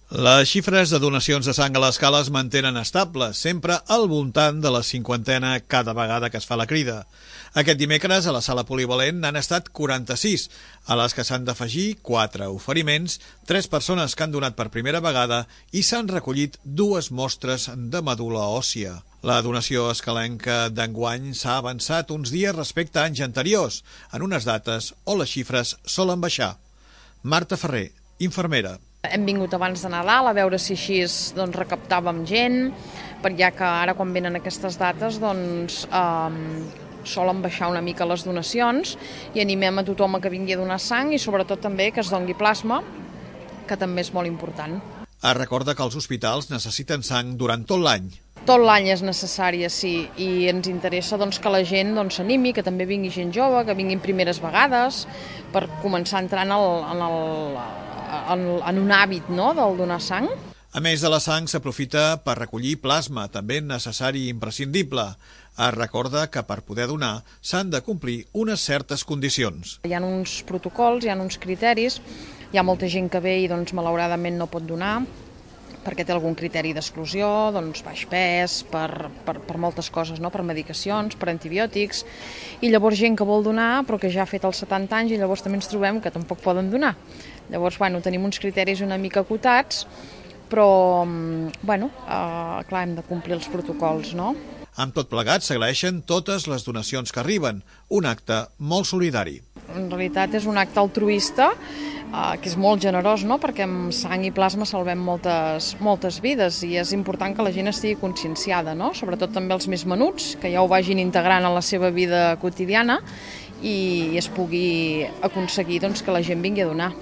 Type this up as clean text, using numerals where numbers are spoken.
Les xifres de donacions de sang a l'escala es mantenen estables, sempre al voltant de la 50 cada vegada que es fa la crida. Aquest dimecres a la sala polivalent n'han estat 46, a les que s'han d'afegir 4 oferiments, 3 persones que han donat per primera vegada i s'han recollit 2 mostres de medul·la òssia. La donació escalenca d'enguany s'ha avançat uns dies respecte a anys anteriors, en unes dates on les xifres solen baixar. Marta Ferrer, infermera. Hem vingut abans de Nadal a veure si així recaptàvem gent, ja que ara quan venen aquestes dates solen baixar una mica les donacions i animem a tothom a que vingui a donar sang i sobretot també que es doni plasma, que també és molt important. Es recorda que els hospitals necessiten sang durant tot l'any. Tot l'any és necessària, sí, i ens interessa que la gent s'animi, que també vingui gent jove, que vinguin primeres vegades, per començar entrant en un hàbit del donar sang. A més de la sang, s'aprofita per recollir plasma, també necessari i imprescindible. Es recorda que per poder donar s'han de complir unes certes condicions. Hi ha uns protocols, hi ha uns criteris, hi ha molta gent que ve i malauradament no pot donar, perquè té algun criteri d'exclusió, baix pes, per moltes coses, per medicacions, per antibiòtics, i llavors gent que vol donar però que ja ha fet els 70 anys i llavors també ens trobem que tampoc poden donar. Llavors, tenim uns criteris una mica acotats, però, clar, hem de complir els protocols, no? Amb tot plegat s'agraeixen totes les donacions que arriben, un acte molt solidari. En realitat és un acte altruista, que és molt generós, perquè amb sang i plasma salvem moltes vides i és important que la gent estigui conscienciada, sobretot també els més menuts, que ja ho vagin integrant a la seva vida quotidiana i es pugui aconseguir que la gent vingui a donar.